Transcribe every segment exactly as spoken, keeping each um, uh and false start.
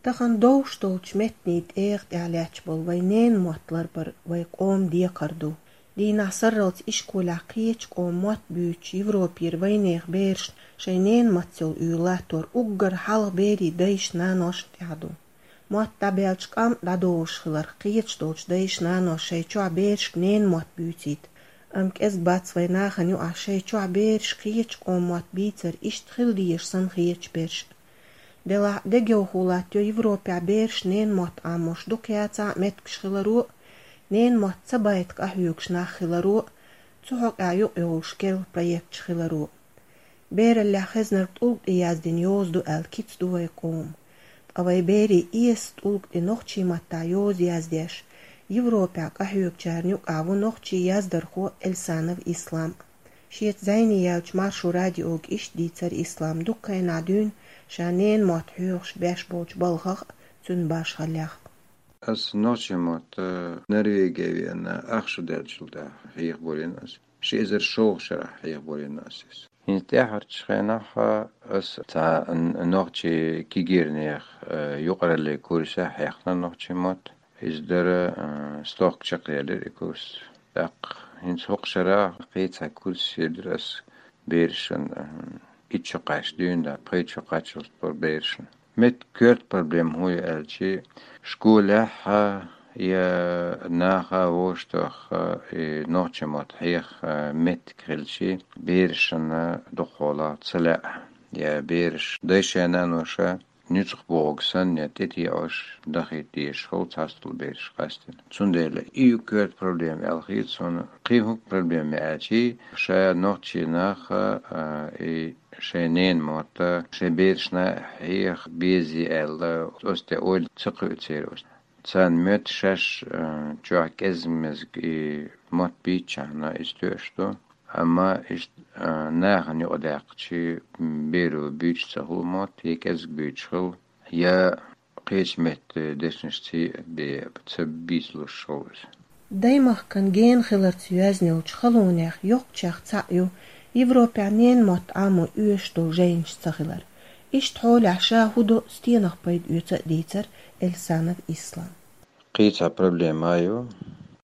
Тахан довш долчу меттанийн тӀегӀа тӀехь лаьтташ болу вайн ненан мотт ларбар вайн къоман декхар ду. Дийнахь сарралц ишколехь кхечу къоман мотт буьйцуш Европера вайнехан берашна шайн ненан маттаца йолу уьйр латтор уггар хьалха берийн дайшна-наношна тӀехь ду. Мотт дӀабаьлча къам дӀадолуш хиларх кхеташ долчу дайша-наноша шайн чохь берашка ненан мотт буьйцийта. Амма кӀезиг бац вайн нахана юкъахь шайн чохь бераш кхечу къоман мотт бийцар иштта хила дезаш санна хеташ берш. Делахь а дегайовхо латтайо Европехь бераш ненан мотт Ӏамош дукха яцахь а меттигаш хиларо а, ненан мотт ца байта къахьоьгуш нах хиларо а, цу хьокъехь юкъайовлуш керла проекташ хиларо а. Бераллехь хезнарг тӀулг тӀе яздина йоза ду аьлла кица ду вайн къоман. Ткъа вайн берийн эсас тӀулг тӀе нохчийн маттахь йоза яздеш, Европехь къахьоьгучарна юкъахь ву нохчийн яздархо Эльсанов Ислам. Шеца зӀене яьллачу Маршо радиога иштта дийцира Ислама дуккха а хенахь дуьйна ша ненан мотт хьоьхуш беш болчу балхах а, цуьнан башхаллех а. Ас нохчийн мотт Норвеге веана ах шу даьллачул тӀаьхьа хьехабора ас. Ши эзар шолгӀа шарахь хьехабора ас иза. ХӀинца тӀаьхьарчу хенахь ас цхьа н-, нохчийн кегийрхойн, э, юкъараллин курсехь хьехна нохчийн мотт. Иза дара, э, стохка чекхъяьллера и курс. ТӀаккха хӀинца хӀокху шарахь кхин цхьа курс йиллира ас берашна, э, итт шо кхаьчча дуьйна, пхийтта шо кхаччалц бара берашна. Меттан коьрта проблема хӀун ю аьлчи, школехь а, я наха вовшахтоьхна, и нохчийн мотт хьеха меттиг хилчи, берашна дукхахьолахь ца лаьа, я бераш дайша-наноша нуьцкъах бохург санна, я тӀетеӀош дахийта дезаш хуьлу цхьацца долу бераш къаьстина. Цундела и ю коьрта проблема аьлла хета суна. Кхин хӀун проблема ю аьлчи, ша нохчийн наха, а, и шайн ненан мотт шайн берашна хьеха беза аьлла, оцу тӀе ойла ца кхуьу церан оцу. Царна моьтту шаьш, а, чохь кӀезиг-мезиг и мотт бийцчахьана иза тоьуш ду. Амма иштта, а, нахана юкъадаьккхичи, беро буьйцуш ца хуьлу мотт, я кӀезиг буьйцуш хуьлу, я кхечу меттан дешнашций бен ца бийцалуш хуьлу иза. Даймахкан гена хиларца йоьзна йолчу халонех йоккхачех цхьаъ ю Европехь ненан мотт Ӏамо оьшуш долу жайнаш ца хилар. Иштта хьолехь ша хӀун до, стенах пайда оьцу а дийцира Эльсанов Ислам. Кхин цхьа проблема ю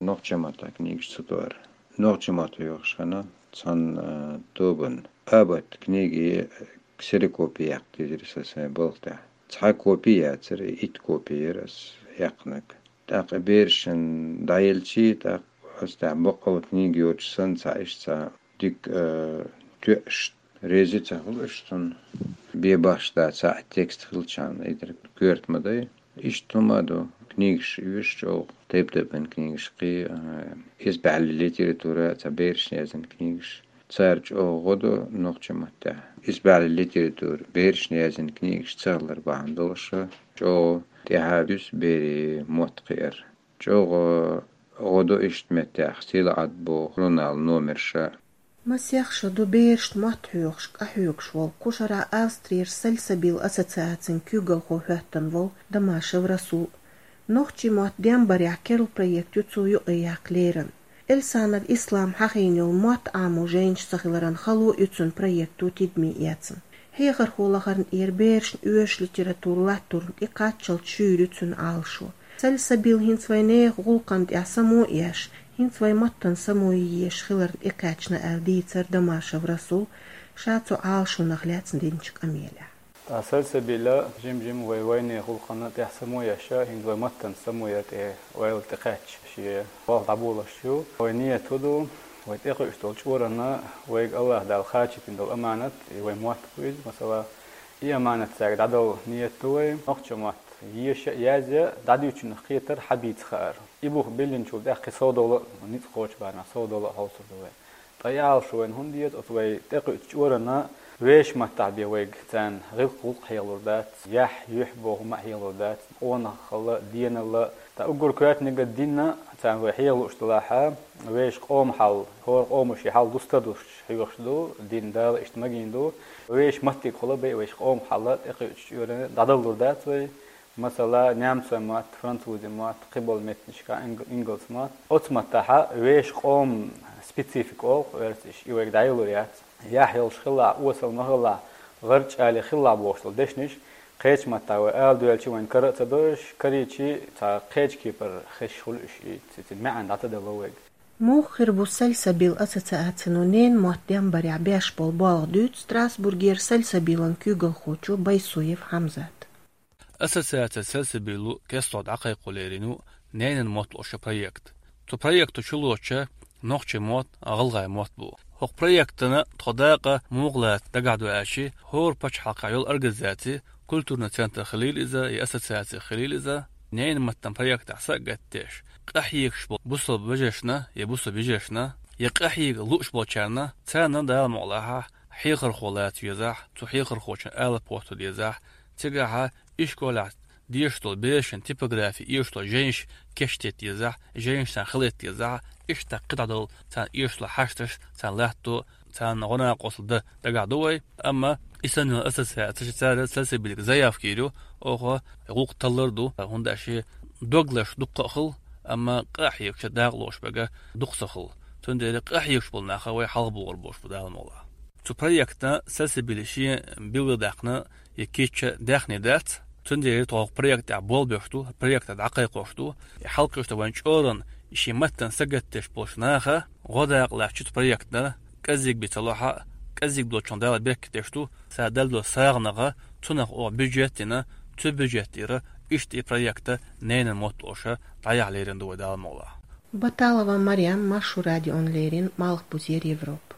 нохчийн маттахь книгаш ца тоар. Нохчийн мотт хьоьхуш хенахь цхьана, э, тобанна абатта книги ксерокопия яккха дезира сан сайн балха тӀехь. Цхьа копи яцара, итт копи яра ас яьккхинарг. ТӀаккха берашна дӀаелчи, тӀаккха ас тӀехь баккъалла книга йоцуш санна, цхьа иштта цхьа дика, э, тоьаш, реза ца хуьлу уьш цунна. Бен бахьаш дац, цхьа текст хилчахьана, и дерг коьрта ма дай. Иштта хӀума а ду, книгаш оьшу чӀогӀа, тайп-тайпана книгаш кхин, а, исбаьхьаллин литература, цхьа берашна яздина книгаш. Цара чӀогӀа гӀо до нохчийн маттахь. Исбаьхьаллин литература, берашна яздина книгаш ца хилар бахьана долуш чӀогӀа тӀаьхьа дуьсу берийн мотт кхиар. ЧӀогӀа гӀо до иштта меттехь «Сийлахьат» боху журналан номерш. Масех шо ду берашна мотт хьоьхуш, къахьоьгуш волу кху шарахь Австрера «Сальсабил» ассоциацин куьйгалхо хӀоьттина волу Дамашев Расул. Нохчийн мотт дембарехь керла проект ю цо юкъаяккха лерина. Эльсанов Ислам хьахийна йолу мотт Ӏамо жайнаш ца хиларан хало ю цуьнан проекто тидаме эцна. Хьехархо лахарна тӀера берашна оьшуш литература латтарна тӀекхаччалц шуьйра ю цуьнан Ӏалашо. «Сальсабил» хӀинца вайн нехан гӀуллакхна тӀехь само а еш, хӀинца вайн маттана само йи езаш хиларна тӀекхаьчна аьлла дийцира Дамашев Расул ша цу Ӏалашонах лаьцна динчу къамелехь. Ткъа «Сальсабил» жим-жима вай вайнехан гӀуллакхна тӀехь само еш, хӀинца вай маттана само яр тӀе ойла тӀекхаьчча шен болх дӀаболош ю. Вайн ният хӀун ду, вай тӀекхуьуш долу чкъурана вайга АллахӀ Дала кхачийтина долу аманат, и вайн мотт бу иза, масала, и аманат цаьрга дӀадала ният ду вайн. Нохчийн мотт еша а, язъя а, дӀадуьйцучунах кхетар, хьан бийца хаар. И бух биллинчул тӀаьхьа кхин совдала а, ницкъ кхочу барамехь совдала а хьовсур ду вай. Ткъа и Ӏалашо вайна хӀунда деза, оцу вай тӀекхуьучу чкъурана вешан маттахь бен вайга царна гӀиллакх-гӀуллакх хьехалур дац, яхь, юьхь боху хӀума а хьехалур дац, къонахалла, деналла. Ткъа уггар коьртаниг а дин а, царна вай хьехалуш делахь а, вешан къоман хьал, хӀора къомо шен хьал дустар долуш хьоьхуш ду, дин Дала иштта магийна ду. Вешан маттигахула бен вешан къоман хьал тӀекхуьучу чкъурана дӀадалалур дац вай. Масала, немцойн мотт, французийн мотт, кхиболу меттанашкахь инг-, ингалс мотт. Оцу маттахь вешан къоман специфика олу оьрсаша, и вайга дӀаялур яц. Яхь йолуш хилахь, осал ма хилахь, гӀарчӀ али хилахь бохуш долу дешнаш, Кхечу маттахь вай ала доьлча вайн кара а ца дойуш, карийчи цхьа кхечу кепара хезаш хуьлу уьш и, цига маьӀна дӀатадало вайга. Муха хир бу Сальсабиль ассоциацино ненан мотт дем барехь беш болу болх дуьйцу Страсбургера Сальсабилан куьйгалхочо Байсуев Хьамзата. Ассоциаци Сальсабиль кестта дӀакхайкхо лерина ву ненан мотт луш йолу проект. Цу проекто чулоцуш нохчийн мотт а, гӀалгӀайн мотт бу. ХӀокху проектана тхо дакъа муха лаца дагахь ду аьлча, хӀора пачхьалкхехь йолу организаци, культурный центр хилийла иза, я ассоциаци хилийла иза, ненан маттан проектехь са а гатдеш, къахьоьгуш болу бусалба вежаршна я бусалба йижаршна, я къахьега лууш болчарна, царна Дала мукъалахь хьехархо лаца везахь, цу хьехархочун алапа хӀотто дезахь, цигахь ишколехь дешаш долу берашна типографи эшаш долу жайнаш кечдийта дезахь, жайнаш царна хилийта дезахь, иштта кхидӀа долу царна эшаш долу хьашташ, царна латто, царна гӀо-накъосталла дан дагахь ду вай. Амма и санна йолу ассоциацеш, цара Сальсабильга заявка йийр ю, оха гӀуллакх таллар ду, хӀунда аьлча дог лазаш дуккха а хуьлу, амма къахьоьгуш, дакъа лууш берг дукха ца хуьлу. Цундела къахьоьгуш болу нах вай хьалхабохур болуш бу Дала мукъалахь. Цу проектана Сальсабиль шен билгалдаьккхина я кийча даьхни дац. Цундела тхо хӀокху проект тӀехь болх беш ду, проект дӀакхайкхош ду. И хьалакхуьуш ду вайн чкъуран, и шен маттана са гатдеш болчу наха гӀо-дакъа лаьтташ цу проектана, кӀеззиг бен ца ло хьа, кӀеззиг долчунна Дала беркат деш ду, цара делла долу сагӀанах, цунах оха бюджет дина, цу бюджет тӀера иштта и проект ненан мотт луш дӀаяхьа лерина ду вай Дала мукъалахь. Баталова Марем, Маршо радиона леррина, Малхбузера Европа.